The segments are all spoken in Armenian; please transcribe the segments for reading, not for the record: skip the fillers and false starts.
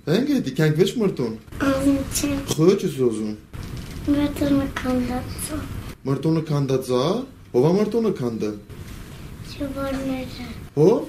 Engedi, kank veç mırton. Xöç sözün. Mırtonu kandatsa. Mırtonu kandatsa? Ova mırtonu kanda? Çubuğunları. Ով?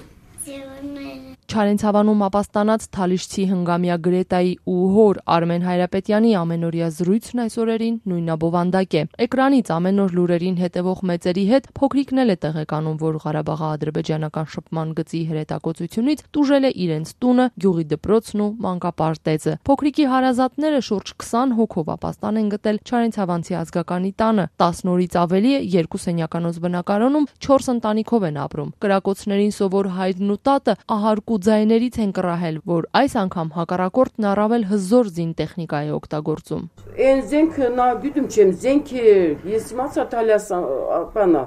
Çubuğunları. Չարենցավանում ապաստանած Թալիշցի հնգամյա Գրետայի ու հոր Արմեն Հայրապետյանի ամենօրյա զրույցն այս օրերին նույնաբովանդակ է։ Էկրանից ամեն օր լուրերին հետևող մեծերի հետ փոքրիկն էլ է տեղեկանում, որ Ղարաբաղի ադրբեջանական շփման գծի հրետակոծությունից տուժել է իրենց տունը, գյուղի դպրոցն ու մանկապարտեզը։ Փոքրիկի հարազատները շուրջ 20 հոգով ապաստան են գտել Չարենցավանցի ազգականի տանը։ 10 օրից ավելի է 2 սենյականոց բնակարանում 4 ընտանիքով են ապրում։ Կրակոցներին սովոր հայրն ու տատը ահարկու ձայներից են կռահել, որ այս անգամ հակառակորդն առավել հզոր զինտեխնիկա է օգտագործում։ Այն զենքը նա գիտում չեմ, զենքը ես իմացա Թալյաս բանա,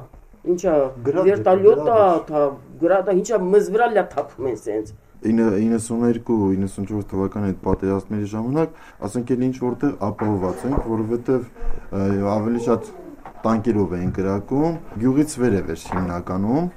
ինչա վերտալյոտա, գրադա, ինչա մեզ վրա լա թափում են սենց։ 92-94 թվականի այդ պատերազմների ժամանակ, ասենք էլ ինչ որտեղ ապահովված ենք, որովհետև ավելի շատ տանկերով էին կրակում, գյուղից վերև էր հիմնականում,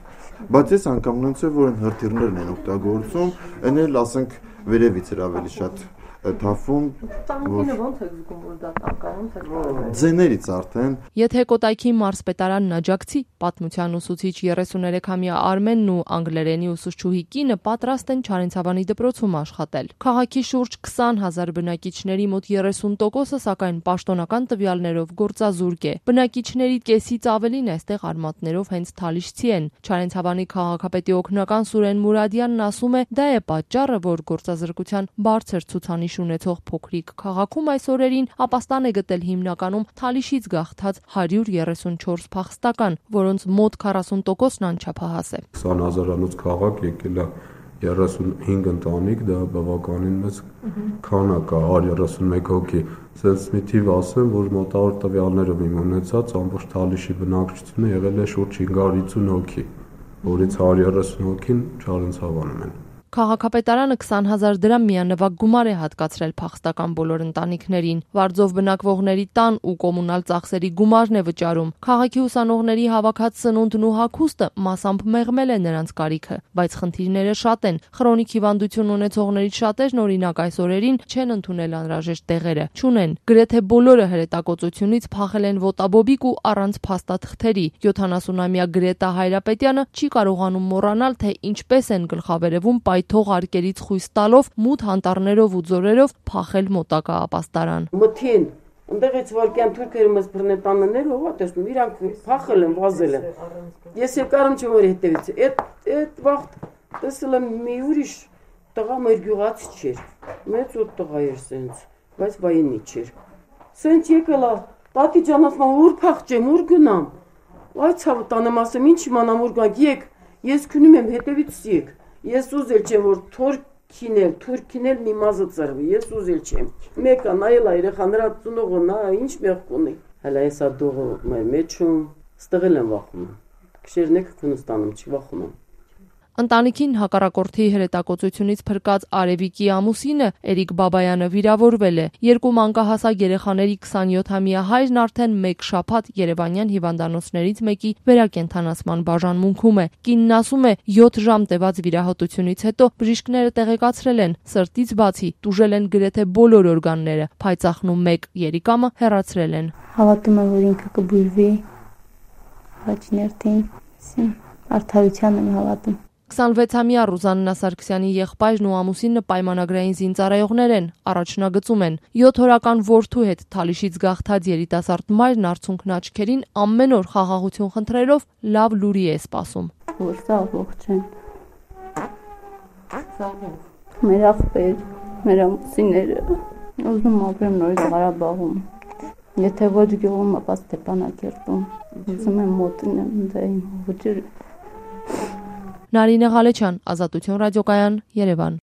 բայց ես անգամ նույնց է, որ են հրթիռներն են օգտագործում, այն էլ ասենք վերևից էր ավելի շատ թափում։ Տանկերը ո՞նց է զգում, որ դա տանկային ձեներից արդեն։ Եթե Կոտայքի մարզպետարանն աջակցի, պատմության ուսուցիչ 33-ամյա Արմենն ու անգլերենի ուսուցչուհի կինը պատրաստ են Չարենցավանի դպրոցում աշխատել։ Քաղաքի շուրջ 20,000 բնակիչների մոտ 30%-ը սակայն պաշտոնական տվյալներով գործազուրկ է։ Բնակիչների կեսից ավելին այստեղ արմատներով հենց Թալիշցի են։ Չարենցավանի քաղաքապետի օգնական Սուրեն Մուրադյանն ասում է, դա է պատճառը, որ գործազրկության բարձր ցուցանիշ ունեցող փոքրիկ քաղաքում այս օրերին ապաստան է գտել հիմնականում Թալիշից գաղթած 134 փախստական, որոնց մոտ 40%-ն անչափահաս է։ 20,000-անոց քաղաք եկել է 35 ընտանիք, դա բավականին մեծ քանակ է, 131 հոգի։ Սենց մի թիվ ասեմ, որ մոտավոր տվյալներով իմ ունեցած ամբողջ Թալիշի բնակչությունը եղել է շուրջ 550 հոգի, որից 130 հոգին Չարենցավանում են։ Քաղաքապետարանը 20,000 դրամ միանվագ գումար է հատկացրել փախստական բոլոր ընտանիքներին։ Վարձով բնակվողների տան ու կոմունալ ծախսերի գումարն է վճարում։ Քաղաքի ուսանողների հավաքած սնունդն ու հագուստը մասամբ մեղմել է նրանց կարիքը, բայց խնդիրները շատ են։ Խրոնիկ հիվանդություն ունեցողներից շատերն օրինակ այս օրերին չեն ընդունել անհրաժեշտ տեղերը, չունեն։ Գրեթե բոլորը հրետակոծությունից փախել են ոտաբոբիկ ու առանց փաստաթղթերի։ 70-ամյա Գրետա Հայրապետյանը չի կարողանում մոռանալ, թե ինչպես են գլխավերևում թող արկերից խույս տալով մութ անտառներով ու ձորերով փախել մոտակա ապաստարան։ Մթին, ընդեղից վարկյան թուրքերը մեզ բռնետաններ, ով է տեսնում, իրանք փախել են, վազել են։ Ես եկարım չեմ որ հետևից։ Այդ վաղտ տեսել եմ մի ուրիշ տղա մեր գյուղացի չէր։ Մեծ ու տղա էր սենց, բայց բայինի չէր։ Սենց եկելա, տատի ջան ասում, ուր փախչեմ, ուր գնամ։ Այ ցավ տանեմ ասեմ, ինչ իմանամ ուր գանք, եկ, ես քնում եմ հետևից եկ։ Ես ուզել չեմ, որ թուրքինել մի մազը ծրվի, ես ուզել չեմ։ Մեկը նայել այրեխա նրա ծնողը, նա ինչ մեղք ունի։ Հələ ես ադողը մեր մեջում ստղել եմ վախում։ Քշերն եք Քունստանում չի վախում եմ։ Ընտանիքին հակառակորդի հրետակոծությունից փրկած Արևիկի ամուսինը Էրիկ Բաբայանը վիրավորվել է։ Երկու մանկահասակ երեխաների 27-ամյա հայրն արդեն 1 շաբաթ Երևանյան հիվանդանոցներից մեկի վերակենդանացման բաժանմունքում է։ Կինն ասում է, 7 ժամ տևած վիրահատությունից հետո բժիշկները տեղեկացրել են, սրտից բացի տուժել են գրեթե բոլոր օրգանները, փայծախն ու 1 երիկամը հեռացրել են։ Հավատում եմ, որ ինքը կբուժվի հաճներթին, արդարության եմ հավատում։ 26-ամյա Ռուզաննա Սարգսյանի եղբայրն ու ամուսինը պայմանագրային զինծառայողներ են, առաջնագծում են։ 7 օրական որդու հետ Թալիշից գաղթած երիտասարդ մայրն արցունքն աչքերին ամեն օր խաղաղություն խնդրելով լավ լուրի է սպասում։ Որսա ողջ են։ Մեր աղբեր, մեր ամուսինները, ուզում ապրեմ նոր Ղարաբաղում։ Եթե ոչ գյուղում, ապա Ստեփանակերտում։ Ուզում եմ մոտնեմ դա իմ ոճերը։ Նարինե Ղալեչյան, Ազատություն ռադիոկայան, Երևան։